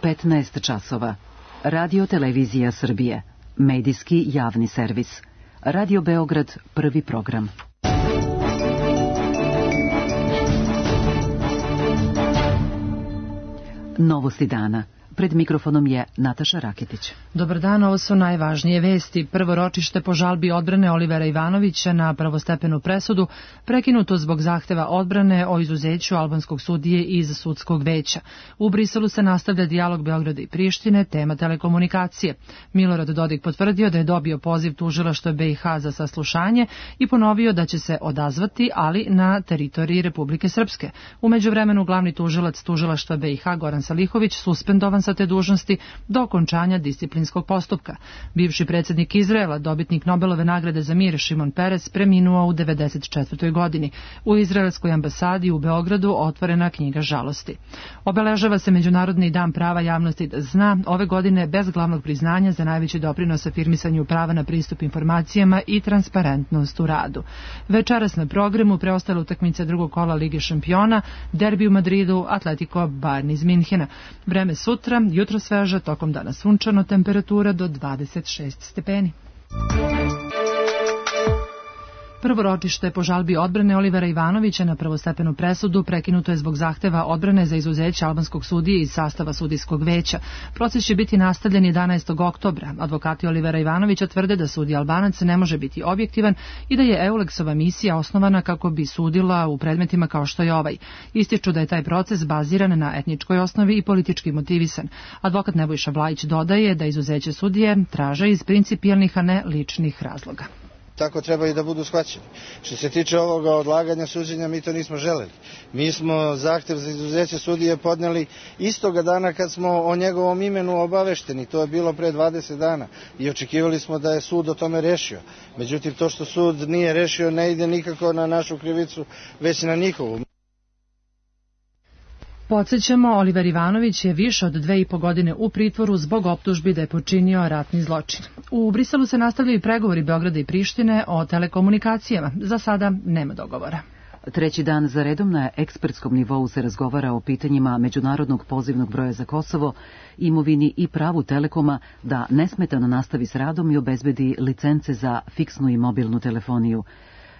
15 časova. Radio Televizija Srbije. Medijski javni servis. Radio Beograd, prvi program. Novosti dana. Pred mikrofonom je Nataša Raketić. Dobar dan, ovo su najvažnije vesti. Prvo ročište po žalbi odbrane Olivera Ivanovića na prvostepenu presudu prekinuto zbog zahteva odbrane o izuzeću albanskog sudije iz sudskog veća. U Briselu se nastavlja dijalog Beograda i Prištine, tema telekomunikacije. Milorad Dodik potvrdio da je dobio poziv tužilaštva BiH za saslušanje i ponovio da će se odazvati, ali na teritoriji Republike Srpske. U međuvremenu glavni tužilac tužilaštva BiH Goran Salihović suspendovan sa te dužnosti do okončanja disciplinskog postupka. Bivši predsjednik Izraela, dobitnik Nobelove nagrade za mir Šimon Peres, preminuo u 94. godini. U izraelskoj ambasadi u Beogradu otvorena knjiga žalosti. Obeležava se Međunarodni dan prava javnosti da zna, ove godine bez glavnog priznanja za najveći doprinos afirmisanju prava na pristup informacijama i transparentnost u radu. Večeras na programu preostale utakmice drugog kola Lige šampiona, derbi u Madridu, Atletico Bayern iz Minhena. Vreme sutra, jutro sveže, tokom dana sunčano, temperatura do 26 stepeni. Prvo ročište po žalbi odbrane Olivera Ivanovića na prvostepenu presudu prekinuto je zbog zahteva odbrane za izuzeće albanskog sudije iz sastava sudijskog veća. Proces će biti nastavljen 11. oktobra. Advokati Olivera Ivanovića tvrde da sudija Albanac ne može biti objektivan i da je Eulexova misija osnovana kako bi sudila u predmetima kao što je ovaj. Ističu da je taj proces baziran na etničkoj osnovi i politički motivisan. Advokat Nebojša Vlajić dodaje da izuzeće sudije traže iz principijelnih, a ne ličnih razloga. Tako treba i da budu shvaćeni. Što se tiče ovoga odlaganja suđenja, mi to nismo želeli. Mi smo zahtev za izuzeće sudije podneli istoga dana kad smo o njegovom imenu obavešteni. To je bilo pre 20 dana i očekivali smo da je sud o tome rešio. Međutim, to što sud nije rešio ne ide nikako na našu krivicu, već na njihovu. Podsjećamo, Oliver Ivanović je više od 2,5 godine u pritvoru zbog optužbi da je počinio ratni zločin. U Briselu se nastavljaju pregovori Beograda i Prištine o telekomunikacijama. Za sada nema dogovora. Treći dan za redom na ekspertskom nivou se razgovara o pitanjima međunarodnog pozivnog broja za Kosovo, imovini i pravu Telekoma da nesmetano nastavi s radom i obezbedi licence za fiksnu i mobilnu telefoniju.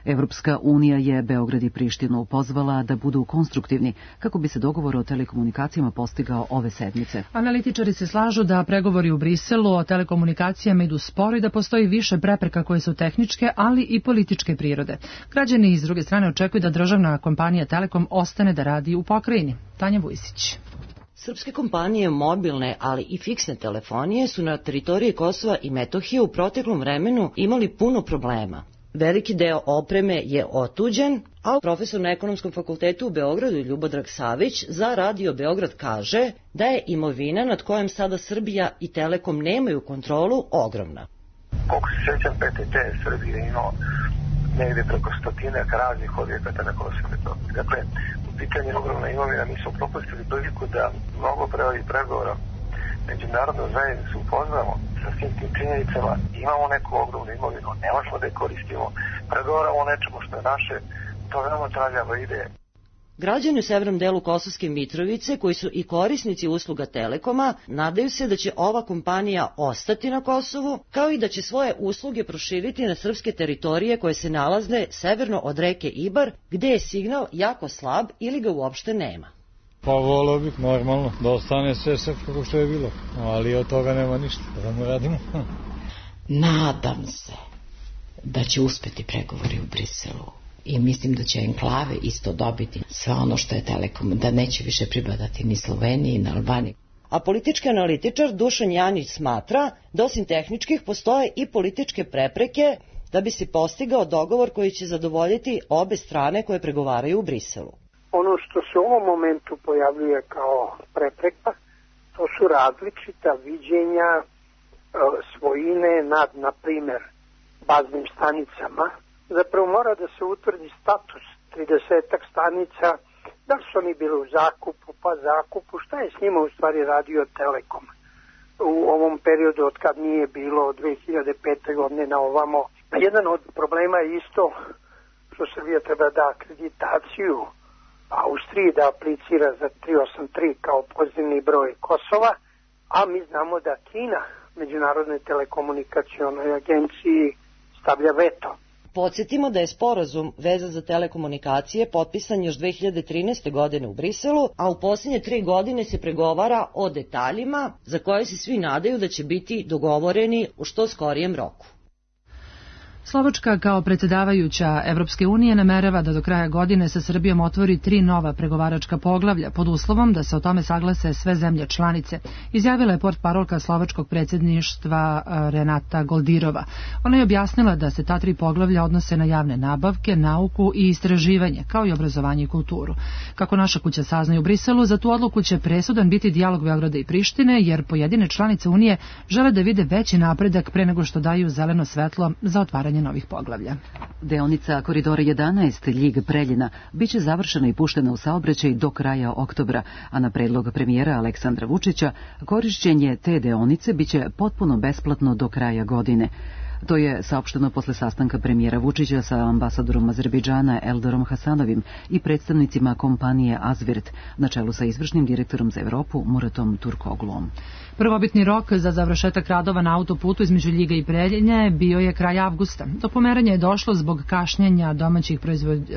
Evropska unija je Beograd i Prištinu pozvala da budu konstruktivni kako bi se dogovor o telekomunikacijama postigao ove sedmice. Analitičari se slažu da pregovori u Briselu o telekomunikacijama idu sporo i da postoji više prepreka koje su tehničke, ali i političke prirode. Građani iz druge strane očekuju da državna kompanija Telekom ostane da radi u pokrajini. Tanja Vujsić. Srpske kompanije mobilne, ali i fiksne telefonije su na teritoriji Kosova i Metohije u proteklom vremenu imali puno problema. Veliki deo opreme je otuđen, a profesor na Ekonomskom fakultetu u Beogradu Ljubodrag Savić za Radio Beograd kaže da je imovina nad kojom sada Srbija i Telekom nemaju kontrolu ogromna. Koliko se sjećam, PTT Srbije imao negdje preko 100 raznih objekata na Kosovu i Metohiji. Dakle, u pitanju ogromna imovina mi smo propustili priliku da mnogo pre ovih pregovora međunarodnu zajednicu upoznamo sa svim tim činjenicama. Imamo neku ogromnu imovinu, ne možemo da je koristimo, pregovaramo o nečemu što je naše, to veoma traljava ide. Građani u severnom delu Kosovske Mitrovice, koji su i korisnici usluga Telekoma, nadaju se da će ova kompanija ostati na Kosovu, kao i da će svoje usluge proširiti na srpske teritorije koje se nalaze severno od reke Ibar, gde je signal jako slab ili ga uopšte nema. Pa volio bih normalno da ostane sve kako što je bilo, ali od toga nema ništa, da mu radimo. Nadam se da će uspeti pregovori u Briselu i mislim da će enklave isto dobiti sve ono što je Telekom, da neće više pripadati ni Sloveniji, ni Albaniji. A politički analitičar Dušan Janjić smatra da osim tehničkih postoje i političke prepreke da bi se postigao dogovor koji će zadovoljiti obe strane koje pregovaraju u Briselu. Ono što se u ovom momentu pojavljuje kao prepreka, to su različita viđenja svojine nad, na primjer, baznim stanicama. Zapravo mora da se utvrdi status 30-ak stanica, da su oni bili u zakupu, pa zakupu, šta je s njima u stvari radio Telekom u ovom periodu od kad nije bilo od 2005. godine na ovamo. Jedan od problema je isto što Srbija treba da akreditaciju Austriji da aplicira za 383 kao pozivni broj Kosova a mi znamo da Kina Međunarodnoj telekomunikacionoj agenciji stavlja veto. Podsjetimo da je sporazum vezan za telekomunikacije potpisan još 2013. godine u Briselu, a u posljednje 3 godine se pregovara o detaljima za koje se svi nadaju da će biti dogovoreni u što skorijem roku. Slovačka kao predsjedavajuća Evropske unije namerava da do kraja godine sa Srbijom otvori 3 nova pregovaračka poglavlja pod uslovom da se o tome saglase sve zemlje članice, izjavila je portparolka slovačkog predsjedništva Renata Goldirova. Ona je objasnila da se ta 3 poglavlja odnose na javne nabavke, nauku i istraživanje, kao i obrazovanje i kulturu. Kako naša kuća saznaje u Briselu, za tu odluku će presudan biti dijalog Beograda i Prištine, jer pojedine članice Unije žele da vide veći napredak pre nego što daju zeleno svetlo za otvaranje novih poglavlja. Deonica Koridora 11 Ljig-Preljina biće završena i puštena u saobraćaj do kraja oktobra, a na predlog premijera Aleksandra Vučića korišćenje te deonice biće potpuno besplatno do kraja godine. To je saopšteno posle sastanka premijera Vučića sa ambasadorom Azerbejdžana Eldorom Hasanovim i predstavnicima kompanije Azvirt, na čelu sa izvršnim direktorom za Evropu Muratom Turkoglom. Prvobitni rok za završetak radova na autoputu između Ljiga i Preljine bio je kraj avgusta. Do pomeranja je došlo zbog kašnjenja domaćih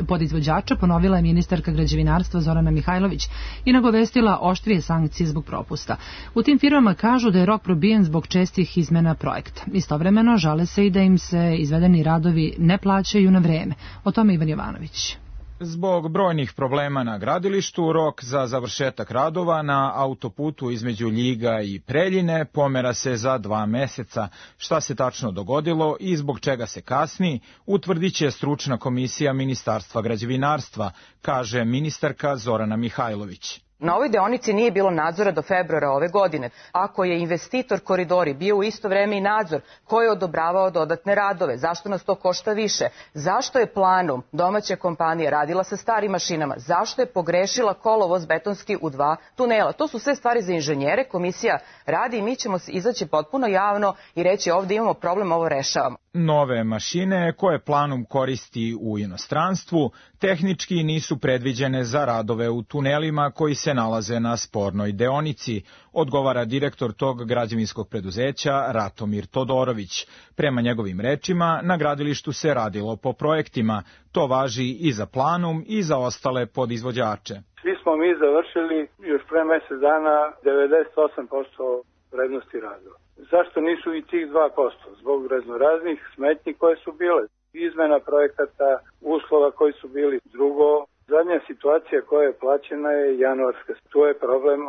podizvođača, ponovila je ministarka građevinarstva Zorana Mihajlović i nagovestila oštrije sankcije zbog propusta. U tim firmama kažu da je rok probijen zbog čestih izmena projekta. Istovremeno žale se i da im se izvedeni radovi ne plaćaju na vreme. O tome Ivan Jovanović. Zbog brojnih problema na gradilištu, rok za završetak radova na autoputu između Ljiga i Preljine pomera se za 2 meseca. Šta se tačno dogodilo i zbog čega se kasni, utvrdit će stručna komisija Ministarstva građevinarstva, kaže ministarka Zorana Mihajlović. Na ovoj deonici nije bilo nadzora do februara ove godine. Ako je investitor Koridori bio u isto vreme i nadzor, ko je odobravao dodatne radove? Zašto nas to košta više? Zašto je planom domaća kompanija radila sa starim mašinama? Zašto je pogrešila kolovoz betonski u 2 tunela? To su sve stvari za inženjere, komisija radi i mi ćemo izaći potpuno javno i reći ovdje imamo problem, ovo rešavamo. Nove mašine koje planom koristi u inostranstvu tehnički nisu predviđene za radove u tunelima koji se nalaze na spornoj deonici, odgovara direktor tog građevinskog preduzeća Ratomir Todorović. Prema njegovim rečima, na gradilištu se radilo po projektima. To važi i za Planum i za ostale podizvođače. Svi smo mi završili još pre mjesec dana 98% vrednosti radova. Zašto nisu i tih 2%? Zbog raznoraznih smetnji koje su bile. Izmena projekata, uslova koji su bili. Drugo, zadnja situacija koja je plaćena je januarska. Tu je problem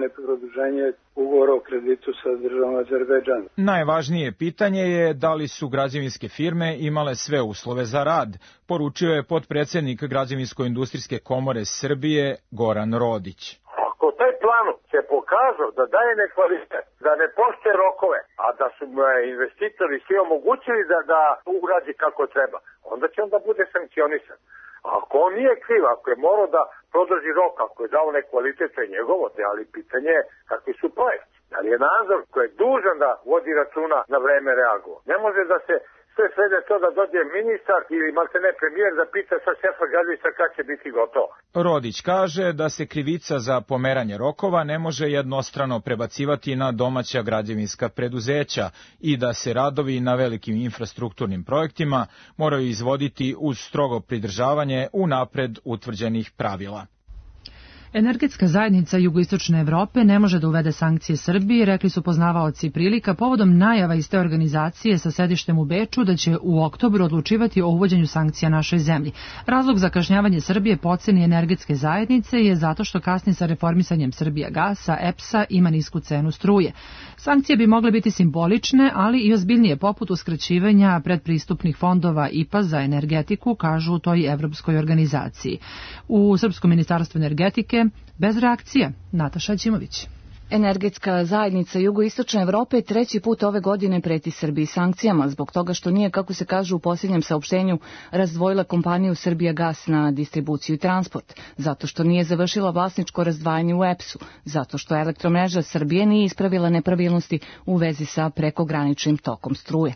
neproduženje ugovora o kreditu sa državom Azerbejdžana. Najvažnije pitanje je da li su građevinske firme imale sve uslove za rad, poručio je potpredsjednik Građevinsko-industrijske komore Srbije Goran Rodić. Ako taj plan se pokazao da daje nekvalitet, da ne poštuje rokove, a da su investitori svi omogućili da uradi kako treba, onda će onda bude sankcionisan. Ako on nije kriv, ako je morao da produži rok, ako je dao nekvalitet, to je njegovo, ali pitanje je kakvi su projekti. Da li je nadzor koji je dužan da vodi računa na vreme reagovao? Ne može da se sve svede to da dođe ministar ili maltene premijer da pita sa šefa gradilišta kad će biti gotovo. Rodić kaže da se krivica za pomeranje rokova ne može jednostrano prebacivati na domaća građevinska preduzeća i da se radovi na velikim infrastrukturnim projektima moraju izvoditi uz strogo pridržavanje unapred utvrđenih pravila. Energetska zajednica Jugoistočne Evrope ne može da uvede sankcije Srbiji, rekli su poznavaoci prilika povodom najava iz te organizacije sa sedištem u Beču da će u oktobru odlučivati o uvođenju sankcija našoj zemlji. Razlog za kašnjavanje Srbije po oceni energetske zajednice je zato što kasni sa reformisanjem Srbijagasa, EPS-a ima nisku cenu struje. Sankcije bi mogle biti simbolične, ali i ozbiljnije poput uskraćivanja predpristupnih fondova IPA za energetiku, kažu u toj evropskoj organizaciji. U Srpskom ministarstvu energetike bez reakcije. Nataša Ćimović. Energetska zajednica Jugoistočne Evrope 3. put ove godine preti Srbiji sankcijama zbog toga što nije, kako se kaže u posljednjem saopštenju, razdvojila kompaniju Srbijagas na distribuciju i transport, zato što nije završila vlasničko razdvajanje u EPS-u, zato što Elektromreža Srbije nije ispravila nepravilnosti u vezi sa prekograničnim tokom struje.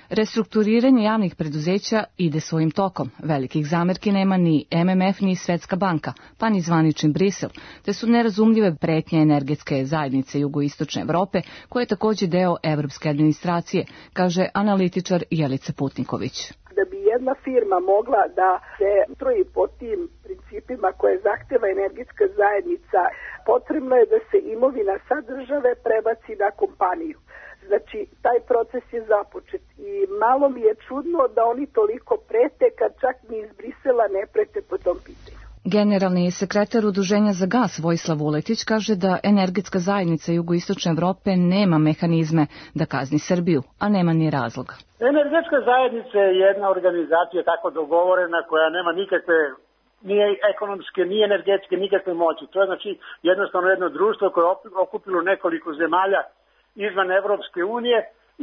Restrukturiranje javnih preduzeća ide svojim tokom. Velikih zamerki nema ni MMF ni Svetska banka, pa ni zvanični Brisel, te su nerazumljive pretnje energetske zajednice zajednice jugoistočne Evrope, koja je također deo evropske administracije, kaže analitičar Jelica Putniković. Da bi jedna firma mogla da se stroji po tim principima koje zahteva energetska zajednica, potrebno je da se imovina sa države prebaci na kompaniju. Znači, taj proces je započet i malo mi je čudno da oni toliko prete kad čak ni iz Brisela ne prete po tom pitanju. Generalni sekretar Udruženja za gas Vojislav Vuletić kaže da energetska zajednica jugoistočne Evrope nema mehanizme da kazni Srbiju, a nema ni razloga. Energetska zajednica je jedna organizacija tako dogovorena koja nema nikakve nije ekonomske, ni energetske, nikakve moći. To je znači jednostavno jedno društvo koje je okupilo nekoliko zemalja izvan Evropske unije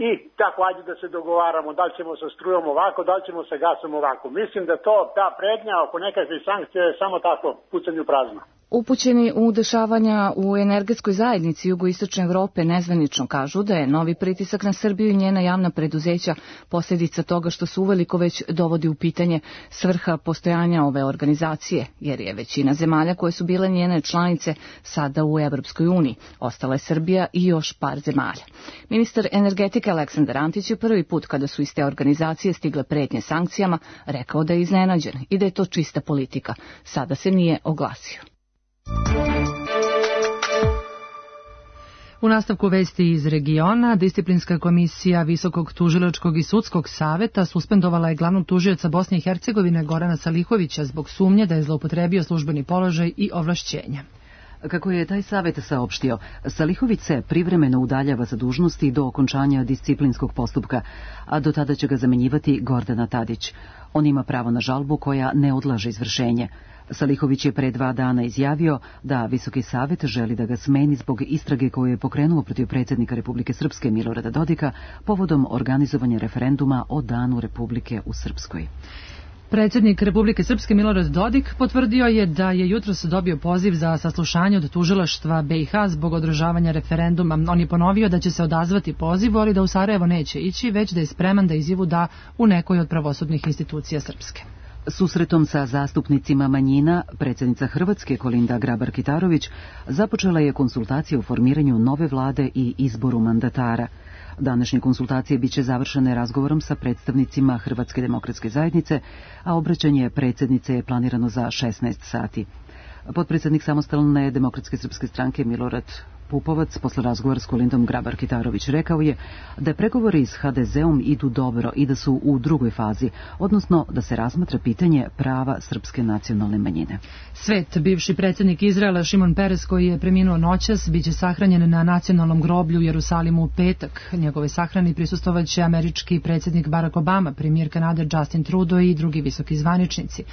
i tako ajde da se dogovaramo da li ćemo sa strujom ovako, da li ćemo sa gasom ovako. Mislim da ta prednja oko nekakve sankcije je samo tako pucanju prazno. Upućeni u dešavanja u energetskoj zajednici jugoistočne Evrope nezvanično kažu da je novi pritisak na Srbiju i njena javna preduzeća posljedica toga što se uveliko već dovodi u pitanje svrha postojanja ove organizacije, jer je većina zemalja koje su bile njene članice sada u Evropskoj uniji. Ostala je Srbija i još par zemalja. Ministar energetike Aleksandar Antić je prvi put kada su iz te organizacije stigle pretnje sankcijama rekao da je iznenađen i da je to čista politika. Sada se nije oglasio. U nastavku vesti iz regiona, disciplinska komisija Visokog tužilačkog i sudskog saveta suspendovala je glavnog tužioca Bosne i Hercegovine Gorana Salihovića zbog sumnje da je zloupotrebio službeni položaj i ovlašćenja. Kako je taj savjet saopštio, Salihović se privremeno udaljava sa dužnosti do okončanja disciplinskog postupka, a do tada će ga zamenjivati Gordana Tadić. On ima pravo na žalbu koja ne odlaže izvršenje. Salihović je pre 2 dana izjavio da Visoki savet želi da ga smeni zbog istrage koju je pokrenuo protiv predsjednika Republike Srpske Milorada Dodika povodom organizovanja referenduma o Danu Republike u Srpskoj. Predsjednik Republike Srpske Milorad Dodik potvrdio je da je jutros dobio poziv za saslušanje od tužilaštva BiH zbog održavanja referenduma. On je ponovio da će se odazvati pozivu, ali da u Sarajevo neće ići, već da je spreman da izjavu da u nekoj od pravosudnih institucija Srpske. Susretom sa zastupnicima manjina, predsjednica Hrvatske Kolinda Grabar-Kitarović započela je konsultacije o formiranju nove vlade i izboru mandatara. Današnje konsultacije biće završene razgovorom sa predstavnicima Hrvatske demokratske zajednice, a obraćanje predsjednice je planirano za 16 sati. Potpredsjednik Samostalne demokratske srpske stranke Milorad Pupovac posle razgovora s Kolindom Grabar-Kitarović rekao je da pregovori s HDZ-om idu dobro i da su u drugoj fazi, odnosno da se razmatra pitanje prava srpske nacionalne manjine. Svet, bivši predsjednik Izraela Šimon Peres, koji je preminuo noćas, biće sahranjen na nacionalnom groblju u Jerusalimu u petak. Njegove sahrani prisustvovaće američki predsjednik Barack Obama, premijer Kanade Justin Trudeau i drugi visoki zvaničnici.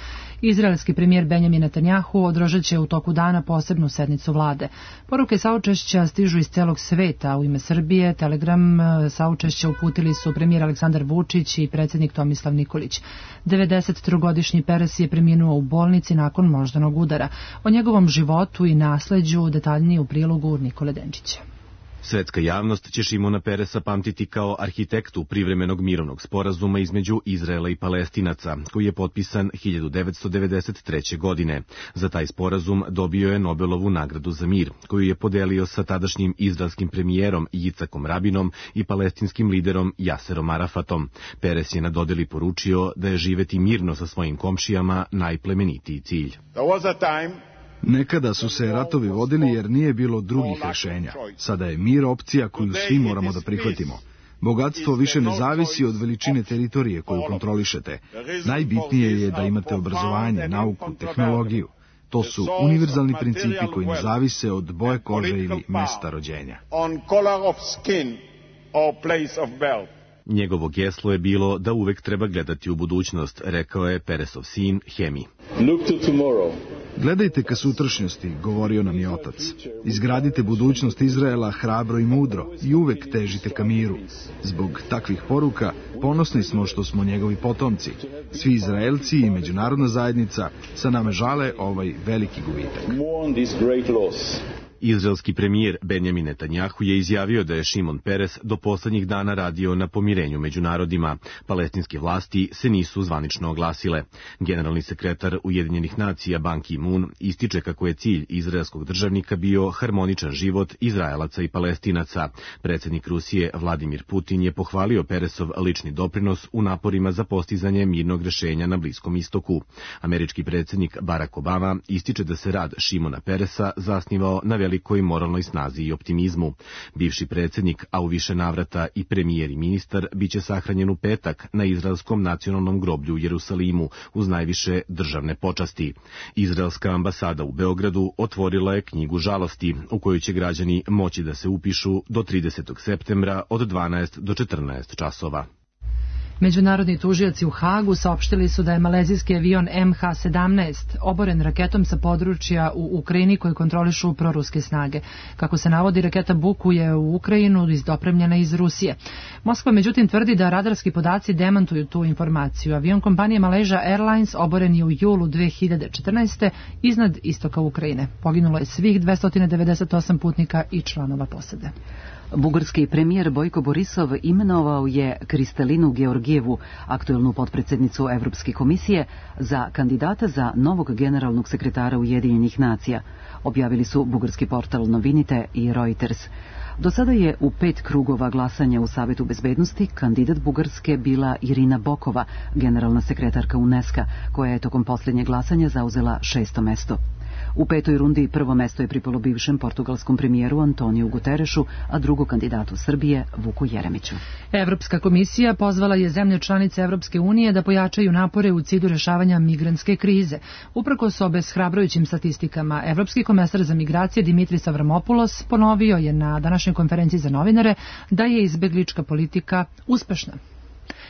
Izraelski premijer Benjamin Netanjahu održat će u toku dana posebnu sednicu vlade. Poruke saučešća stižu iz celog sveta. U ime Srbije Telegram saučešća uputili su premijer Aleksandar Vučić i predsjednik Tomislav Nikolić. 93-godišnji Peres je preminuo u bolnici nakon moždanog udara. O njegovom životu i nasleđu detaljnije u prilogu Nikole Denčića. Svetska javnost će Šimona Peresa pamtiti kao arhitektu privremenog mirovnog sporazuma između Izraela i Palestinaca, koji je potpisan 1993. godine. Za taj sporazum dobio je Nobelovu nagradu za mir, koju je podelio sa tadašnjim izraelskim premijerom Jicakom Rabinom i palestinskim liderom Jaserom Arafatom. Peres je na dodeli poručio da je živeti mirno sa svojim komšijama najplemenitiji cilj. Nekada su se ratovi vodili jer nije bilo drugih rješenja. Sada je mir opcija koju svi moramo da prihvatimo. Bogatstvo više ne zavisi od veličine teritorije koju kontrolišete. Najbitnije je da imate obrazovanje, nauku, tehnologiju. To su univerzalni principi koji ne zavise od boje kože ili mesta rođenja. Njegovo geslo je bilo da uvek treba gledati u budućnost, rekao je Peresov sin Hemi. Gledajte ka sutrašnjosti, govorio nam je otac. Izgradite budućnost Izraela hrabro i mudro i uvek težite ka miru. Zbog takvih poruka ponosni smo što smo njegovi potomci. Svi Izraelci i međunarodna zajednica sa nama žale ovaj veliki gubitak. Izraelski premijer Benjamin Netanjahu je izjavio da je Šimon Peres do poslednjih dana radio na pomirenju među narodima. Palestinske vlasti se nisu zvanično oglasile. Generalni sekretar Ujedinjenih nacija Ban Ki-moon ističe kako je cilj izraelskog državnika bio harmoničan život Izraelaca i Palestinaca. Predsjednik Rusije Vladimir Putin je pohvalio Peresov lični doprinos u naporima za postizanje mirnog rešenja na Bliskom istoku. Američki predsjednik Barack Obama ističe da se rad Šimona Peresa zasnivao na velikoj moralnoj snazi i optimizmu. Bivši predsjednik, a u više navrata i premijer i ministar, biće sahranjen u petak na Izraelskom nacionalnom groblju u Jerusalimu uz najviše državne počasti. Izraelska ambasada u Beogradu otvorila je knjigu žalosti u kojoj će građani moći da se upišu do 30. septembra od 12 do 14 časova. Međunarodni tužioci u Hagu saopštili su da je malezijski avion MH17 oboren raketom sa područja u Ukrajini koji kontrolišu proruske snage. Kako se navodi, raketa bukuje u Ukrajinu dopremljena iz Rusije. Moskva međutim tvrdi da radarski podaci demantuju tu informaciju. Avion kompanije Malaysia Airlines oboren je u julu 2014. iznad istoka Ukrajine. Poginulo je svih 298 putnika i članova posade. Bugarski premijer Bojko Borisov imenovao je Kristalinu Georgijevu, aktuelnu potpredsjednicu Evropske komisije, za kandidata za novog generalnog sekretara Ujedinjenih nacija, objavili su bugarski portal Novinite i Reuters. Do sada je u 5 krugova glasanja u Savetu bezbednosti kandidat Bugarske bila Irina Bokova, generalna sekretarka UNESCO, koja je tokom posljednjeg glasanja zauzela 6. mesto. U 5. rundi prvo mesto je pripalo bivšem portugalskom premijeru Antoniju Guterešu, a drugo kandidatu Srbije Vuku Jeremiću. Evropska komisija pozvala je zemlje članice Evropske unije da pojačaju napore u cilju rešavanja migrantske krize. Uprkos obeshrabrujućim statistikama, Evropski komesar za migracije Dimitris Avramopoulos ponovio je na današnjoj konferenciji za novinare da je izbeglička politika uspešna.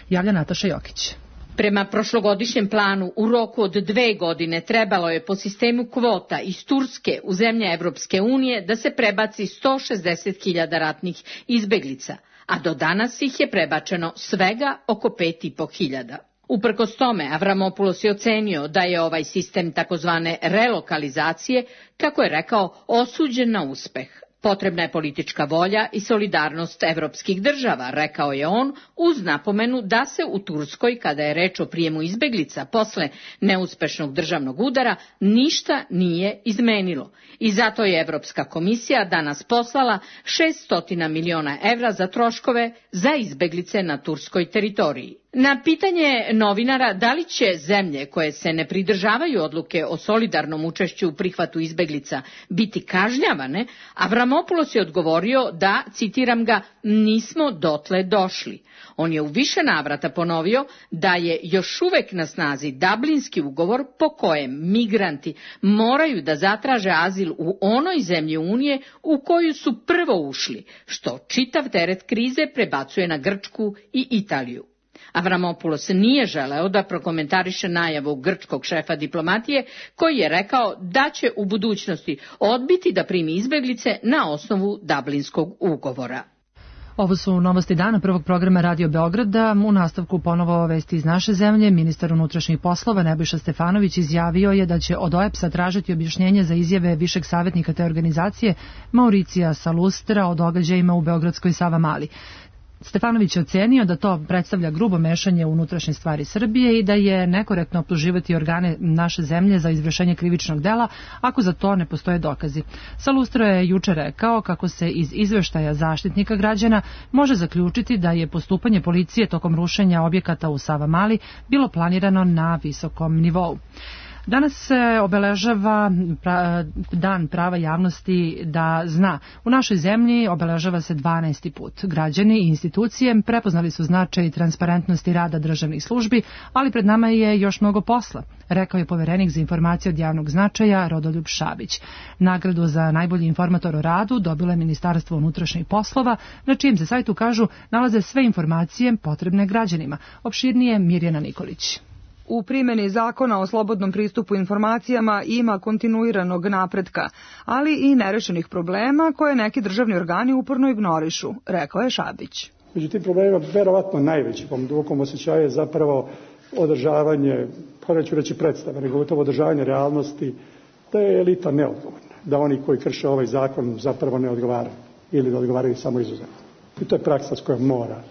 Javlja Nataša Jokić. Prema prošlogodišnjem planu, u roku od 2 godine trebalo je po sistemu kvota iz Turske u zemlje Evropske unije da se prebaci 160.000 ratnih izbeglica, a do danas ih je prebačeno svega oko 5.500. Uprkos tome, Avramopoulos je ocenio da je ovaj sistem takozvane relokalizacije, kako je rekao, osuđen na uspeh. Potrebna je politička volja i solidarnost evropskih država, rekao je on, uz napomenu da se u Turskoj, kada je reč o prijemu izbeglica posle neuspešnog državnog udara, ništa nije izmenilo. I zato je Evropska komisija danas poslala 600 miliona evra za troškove za izbeglice na turskoj teritoriji. Na pitanje novinara da li će zemlje koje se ne pridržavaju odluke o solidarnom učešću u prihvatu izbeglica biti kažnjavane, Avramopoulos je odgovorio da, citiram ga, nismo dotle došli. On je u više navrata ponovio da je još uvek na snazi Dublinski ugovor po kojem migranti moraju da zatraže azil u onoj zemlji Unije u koju su prvo ušli, što čitav teret krize prebacuje na Grčku i Italiju. Avramopoulos nije želeo da prokomentariše najavu grčkog šefa diplomatije, koji je rekao da će u budućnosti odbiti da primi izbeglice na osnovu Dublinskog ugovora. Ovo su novosti dana prvog programa Radio Beograda. U nastavku ponovo vesti iz naše zemlje. Ministar unutrašnjih poslova Nebojša Stefanović izjavio je da će od OEPS-a tražiti objašnjenje za izjave višeg savjetnika te organizacije Mauricija Salustra o događajima u beogradskoj Savamali. Stefanović je ocenio da to predstavlja grubo mešanje u unutrašnje stvari Srbije i da je nekorektno optuživati organe naše zemlje za izvršenje krivičnog dela ako za to ne postoje dokazi. Salustro je juče rekao kako se iz izveštaja Zaštitnika građana može zaključiti da je postupanje policije tokom rušenja objekata u Savamali bilo planirano na visokom nivou. Danas se obeležava Dan prava javnosti da zna. U našoj zemlji obeležava se 12. put. Građani i institucije prepoznali su značaj i transparentnosti rada državnih službi, ali pred nama je još mnogo posla, rekao je poverenik za informacije od javnog značaja Rodoljub Šabić. Nagradu za najbolji informator o radu dobilo je Ministarstvo unutrašnjih poslova, na čijem se sajtu, kažu, nalaze sve informacije potrebne građanima. Opširnije Mirjana Nikolić. U primjeni zakona o slobodnom pristupu informacijama ima kontinuiranog napretka, ali i nerešenih problema koje neki državni organi uporno ignorišu, rekao je Šabić. Među tim problemima verovatno najveći, po mom dubokom osjećaju, je zapravo održavanje, pa neću reći predstave, nego gotovo održavanje realnosti da je elita neodgovorna. da oni koji krše ovaj zakon zapravo ne odgovaraju ili da odgovaraju samo izuzetno. I to je praksa s kojom mora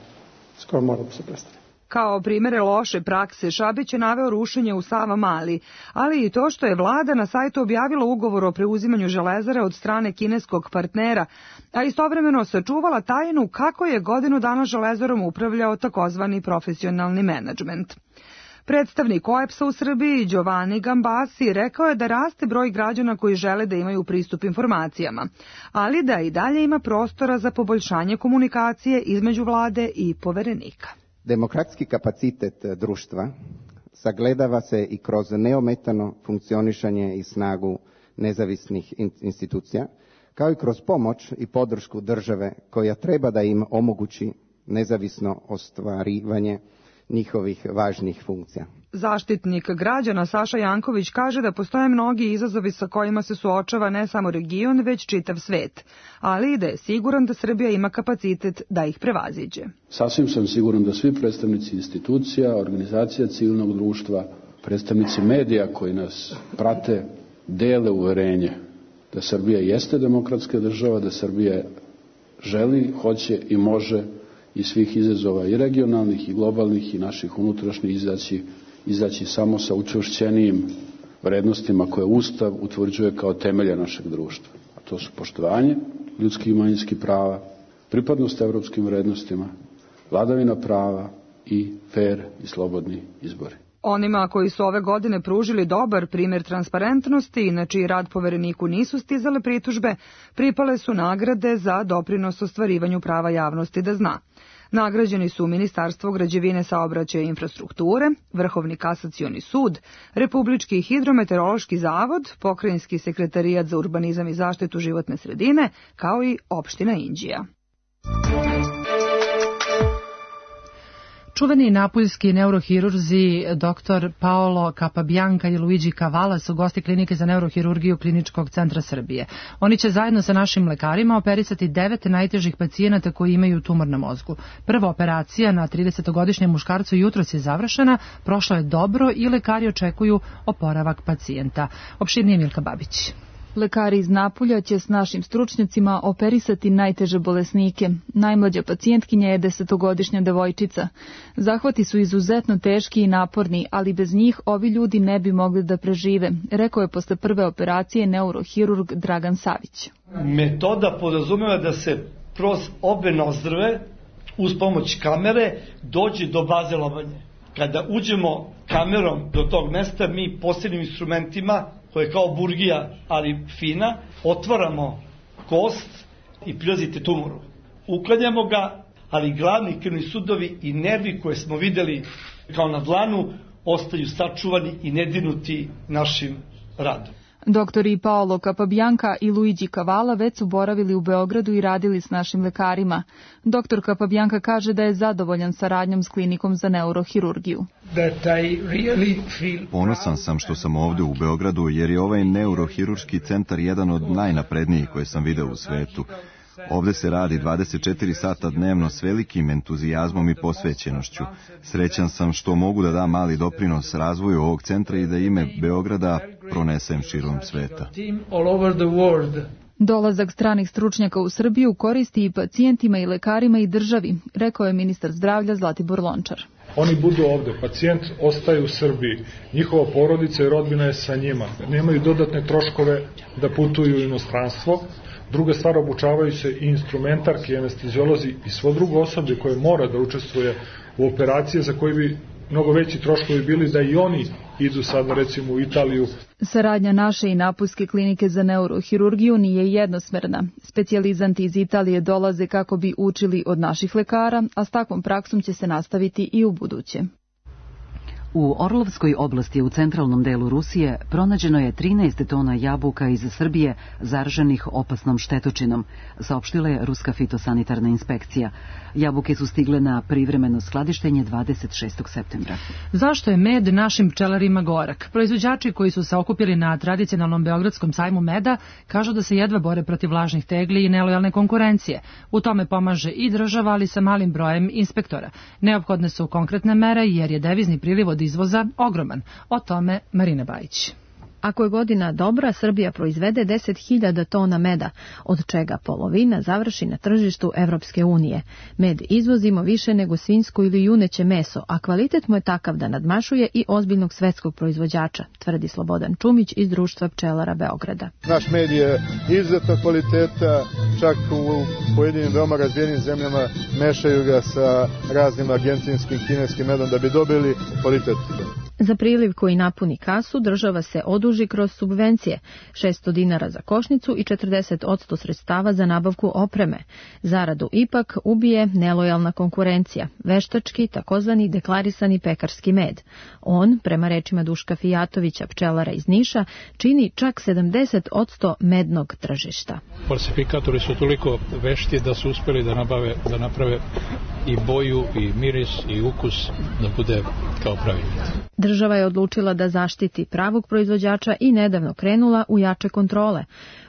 da se prestane. Kao primere loše prakse, Šabić je naveo rušenje u Savamali, ali i to što je vlada na sajtu objavila ugovor o preuzimanju Železare od strane kineskog partnera, a istovremeno sačuvala tajnu kako je godinu dana Železarom upravljao takozvani profesionalni menadžment. Predstavnik OEPS-a u Srbiji, Giovanni Gambasi, rekao je da raste broj građana koji žele da imaju pristup informacijama, ali da i dalje ima prostora za poboljšanje komunikacije između vlade i poverenika. Demokratski kapacitet društva sagledava se i kroz neometano funkcionišanje i snagu nezavisnih institucija, kao i kroz pomoć i podršku države koja treba da im omogući nezavisno ostvarivanje njihovih važnih funkcija. Zaštitnik građana Saša Janković kaže da postoje mnogi izazovi sa kojima se suočava ne samo region, već čitav svet, ali i da je siguran da Srbija ima kapacitet da ih prevaziđe. Sasvim sam siguran da svi predstavnici institucija, organizacija civilnog društva, predstavnici medija koji nas prate, dele uverenje da Srbija jeste demokratska država, da Srbija želi, hoće i može iz svih izazova i regionalnih i globalnih i naših unutrašnjih izaći samo sa učvršćenijim vrednostima koje Ustav utvrđuje kao temelje našeg društva. A to su poštovanje ljudskih i manjinskih prava, pripadnost evropskim vrednostima, vladavina prava i fer i slobodni izbori. Onima koji su ove godine pružili dobar primjer transparentnosti i na čiji rad povereniku nisu stizale pritužbe, pripale su nagrade za doprinos ostvarivanju prava javnosti da zna. Nagrađeni su Ministarstvo građevine, saobraćaja i infrastrukture, Vrhovni kasacioni sud, Republički hidrometeorološki zavod, Pokrajinski sekretarijat za urbanizam i zaštitu životne sredine, kao i opština Inđija. Čuveni napuljski neurohirurzi dr. Paolo Capabianca i Luigi Cavala su gosti klinike za neurohirurgiju Kliničkog centra Srbije. Oni će zajedno sa našim lekarima operisati 9 najtežih pacijenata koji imaju tumor na mozgu. Prva operacija na 30-godišnjem muškarcu jutros je završena, prošlo je dobro i lekari očekuju oporavak pacijenta. Opširnije Milka Babić. Lekari iz Napulja će s našim stručnjacima operisati najteže bolesnike. Najmlađa pacijentkinja je 10-godišnja devojčica. Zahvati su izuzetno teški i naporni, ali bez njih ovi ljudi ne bi mogli da prežive, rekao je posle prve operacije neurohirurg Dragan Savić. Metoda podrazumeva da se kroz obe nozdrve, uz pomoć kamere, dođe do baze lobanje. Kada uđemo kamerom do tog mesta, mi posebnim instrumentima, koja je kao burgija, ali fina, otvaramo kost i prilazite tumoru. Uklanjamo ga, ali glavni krvni sudovi i nervi koje smo videli kao na dlanu ostaju sačuvani i nedirnuti našim radom. Doktori Paolo Capabianca i Luigi Cavala već su boravili u Beogradu i radili s našim lekarima. Doktor Capabianca kaže da je zadovoljan saradnjom s klinikom za neurohirurgiju. Ponosan sam što sam ovde u Beogradu jer je ovaj neurohirurški centar jedan od najnaprednijih koje sam video u svetu. Ovde se radi 24 sata dnevno s velikim entuzijazmom i posvećenošću. Srećan sam što mogu da dam mali doprinos razvoju ovog centra i da ime Beograda pronesem širom sveta. Dolazak stranih stručnjaka u Srbiju koristi i pacijentima i lekarima i državi, rekao je ministar zdravlja Zlatibor Lončar. Oni budu ovde, pacijent ostaje u Srbiji, njihova porodica i rodbina je sa njima. Nemaju dodatne troškove da putuju u inostranstvo. Druga stvar, obučavaju se i instrumentarki, i anesteziolozi i svo drugo osoblje koje mora da učestvuje u operacije za koje bi mnogo veći troškovi bili da i oni idu sad recimo u Italiju. Saradnja naše i napuljske klinike za neurohirurgiju nije jednosmerna. Specijalizanti iz Italije dolaze kako bi učili od naših lekara, a s takvom praksom će se nastaviti i u buduće. U Orlovskoj oblasti u centralnom delu Rusije pronađeno je 13 tona jabuka iz Srbije zaraženih opasnom štetočinom, saopštila je Ruska fitosanitarna inspekcija. Jabuke su stigle na privremeno skladištenje 26. septembra. Zašto je med našim pčelarima gorak? Proizvođači koji su se okupili na tradicionalnom beogradskom sajmu meda kažu da se jedva bore protiv lažnih tegli i nelojalne konkurencije. U tome pomaže i država, ali sa malim brojem inspektora. Neophodne su konkretne mere jer je devizni priliv od izvoza ogroman. O tome Marina Bajić. Ako je godina dobra, Srbija proizvede 10.000 tona meda, od čega polovina završi na tržištu Evropske unije. Med izvozimo više nego svinjsko ili juneće meso, a kvalitet mu je takav da nadmašuje i ozbiljnog svetskog proizvođača, tvrdi Slobodan Čumić iz Društva pčelara Beograda. Naš med je izuzetno kvaliteta, čak u pojedinim veoma razvijenim zemljama mešaju ga sa raznim argentinskim, kineskim medom da bi dobili kvalitet. Za priliv koji napuni kasu država se oduži kroz subvencije, 600 dinara za košnicu i 40% sredstava za nabavku opreme. Zaradu ipak ubije nelojalna konkurencija, veštački takozvani deklarisani pekarski med. On, prema rečima Duška Fijatovića, pčelara iz Niša, čini čak 70% mednog tržišta. Falsifikatori su toliko vešti da su uspeli da naprave i boju, i miris, i ukus da bude kao pravi med. Država je odlučila da zaštiti pravog proizvođača i nedavno krenula u jače kontrole.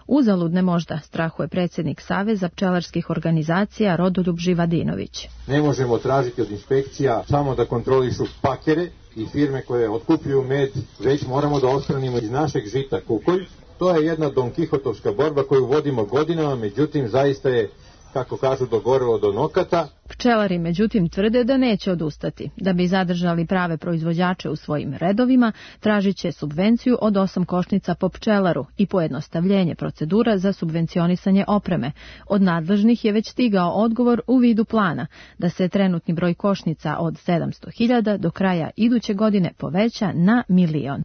Uzaludne možda, strahuje predsjednik Saveza pčelarskih organizacija Rodoljub Živadinović. Ne možemo tražiti od inspekcija samo da kontrolišu pakere i firme koje otkupljuju med, već moramo da odstranimo iz našeg žita kukolj. To je jedna Don Kihotovska borba koju vodimo godinama, međutim zaista je, kako kažu, dogorelo do nokata. Pčelari međutim tvrde da neće odustati. Da bi zadržali prave proizvođače u svojim redovima, tražit će subvenciju od 8 košnica po pčelaru i pojednostavljenje procedura za subvencionisanje opreme. Od nadležnih je već stigao odgovor u vidu plana da se trenutni broj košnica od 700.000 do kraja iduće godine poveća na 1.000.000.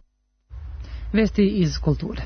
Vesti iz kulture.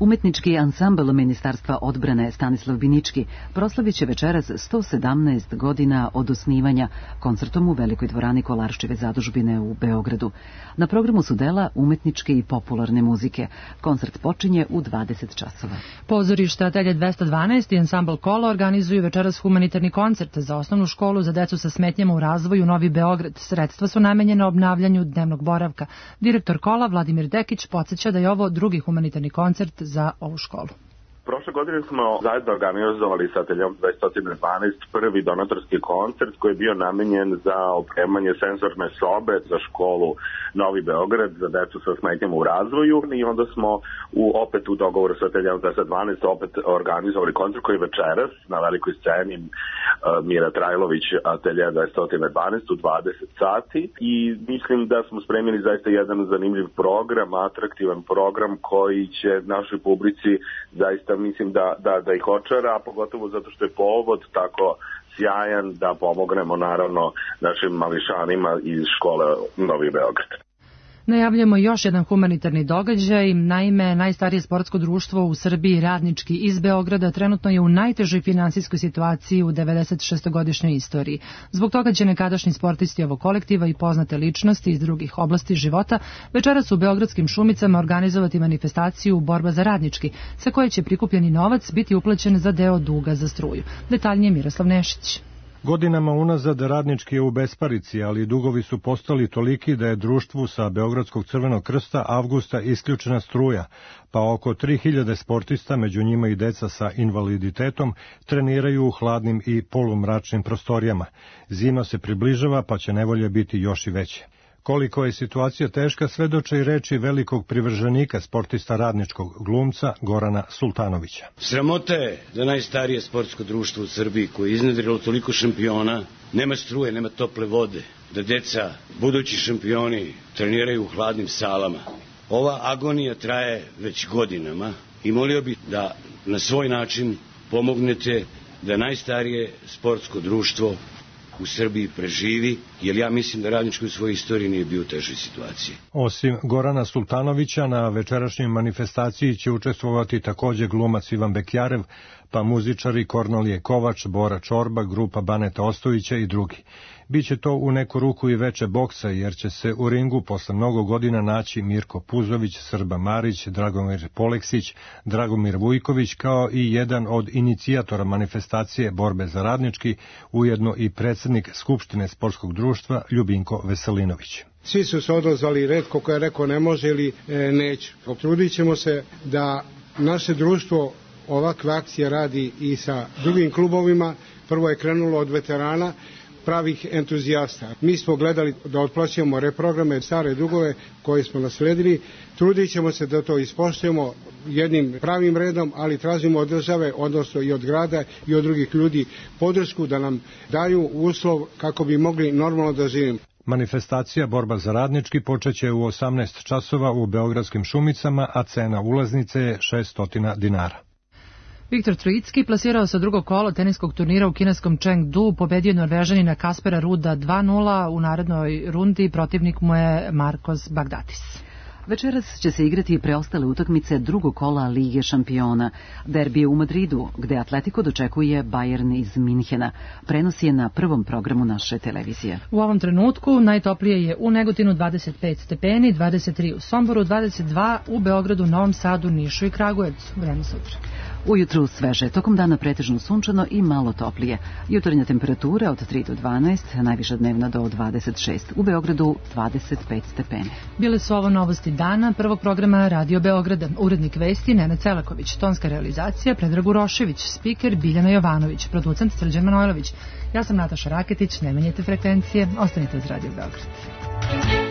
Umetnički ansambl Ministarstva odbrane Stanislav Binički proslavit će večeras 117 godina od osnivanja koncertom u Velikoj dvorani Kolarščeve zadužbine u Beogradu. Na programu su dela umetničke i popularne muzike. Koncert počinje u 20 časova. Pozorište Atelje 212 i ansambl Kola organizuju večeras humanitarni koncert za osnovnu školu za decu sa smetnjama u razvoju Novi Beograd. Sredstva su namenjena obnavljanju dnevnog boravka. Direktor Kola Vladimir Dekić podsjeća da je ovo drugi humanitarni koncert za ovu školu. Prošle godine smo zajedno organizovali sa Ateljom 212 prvi donatorski koncert koji je bio namenjen za opremanje senzorne sobe za školu Novi Beograd za decu sa smetnjama u razvoju i onda smo opet u dogovoru sa Ateljom 212 opet organizovali koncert koji je večeras na velikoj sceni Mira Trajlović Atelja 212 u 20 sati i mislim da smo spremili zaista jedan zanimljiv program, atraktivan program koji će našoj publici zaista mislim da ih očara, a pogotovo zato što je povod tako sjajan da pomognemo naravno našim mališanima iz škole Novi Beograd. Najavljamo još jedan humanitarni događaj. Naime, najstarije sportsko društvo u Srbiji, Radnički iz Beograda, trenutno je u najtežoj finansijskoj situaciji u 96-godišnjoj istoriji. Zbog toga će nekadašnji sportisti ovog kolektiva i poznate ličnosti iz drugih oblasti života večeras u Beogradskim Šumicama organizovati manifestaciju Borba za Radnički, sa koje će prikupljeni novac biti uplaćen za deo duga za struju. Detaljnije Miroslav Nešić. Godinama unazad Radnički je u besparici, ali dugovi su postali toliki da je društvu sa Beogradskog Crvenog krsta avgusta isključena struja, pa oko 3000 sportista, među njima i deca sa invaliditetom, treniraju u hladnim i polumračnim prostorijama. Zima se približava, pa će nevolje biti još i veće. Koliko je situacija teška, svedoče i reči velikog privrženika sportista Radničkog, glumca Gorana Sultanovića. Sramota je da najstarije sportsko društvo u Srbiji koje je iznedrilo toliko šampiona, nema struje, nema tople vode, da deca, budući šampioni, treniraju u hladnim salama. Ova agonija traje već godinama i molio bih da na svoj način pomognete da najstarije sportsko društvo u Srbiji preživi, jer ja mislim da Radnički u svojoj istoriji nije bio u težoj situaciji. Osim Gorana Sultanovića, na večerašnjoj manifestaciji će učestvovati takođe glumac Ivan Bekjarev, pa muzičari Kornelije Kovač, Bora Čorba, grupa Baneta Ostojića i drugi. Biće to u neku ruku i veče boksa, jer će se u ringu posle mnogo godina naći Mirko Puzović, Srba Marić, Dragomir Poleksić, Dragomir Vujković, kao i jedan od inicijatora manifestacije Borbe za Radnički, ujedno i predsjednik Skupštine sportskog društva Ljubinko Veselinović. Svi su se odazvali, retko ko je rekao ne može ili neće. Potrudit ćemo se da naše društvo ovakve akcije radi i sa drugim klubovima. Prvo je krenulo od veterana, pravih entuzijasta. Mi smo gledali da otplaćujemo reprograme, stare dugove koje smo nasledili. Trudit ćemo se da to ispoštujemo jednim pravim redom, ali tražimo od države, odnosno i od grada i od drugih ljudi podršku da nam daju uslov kako bi mogli normalno da živimo. Manifestacija Borba za radnički počeće u 18 časova u Beogradskim Šumicama, a cena ulaznice je 600 dinara. Viktor Trojicki plasirao se drugo kolo teniskog turnira u kineskom Chengdu, pobedio Norvežanina Kaspera Ruda 2-0, u narednoj rundi protivnik mu je Marcos Baghdatis. Večeras će se igrati preostale utakmice drugog kola Lige šampiona. Derbi je u Madridu, gde Atletico dočekuje Bayern iz Minhena. Prenos je na prvom programu naše televizije. U ovom trenutku najtoplije je u Negotinu 25 stepeni, 23 u Somboru, 22 u Beogradu, Novom Sadu, Nišu i Kragujevcu. Vreme sutra. Ujutru sveže, tokom dana pretežno sunčano i malo toplije. Jutarnja temperatura od 3 do 12, najviša dnevna do 26. U Beogradu 25 stepeni. Bile su ovo novosti dana prvog programa Radio Beograda. Urednik vesti Nenad Celaković, tonska realizacija Predrag Urošević, spiker Biljana Jovanović, producent Srđan Manojlović. Ja sam Nataša Raketić, ne menjajte frekvencije, ostanite uz Radio Beograd.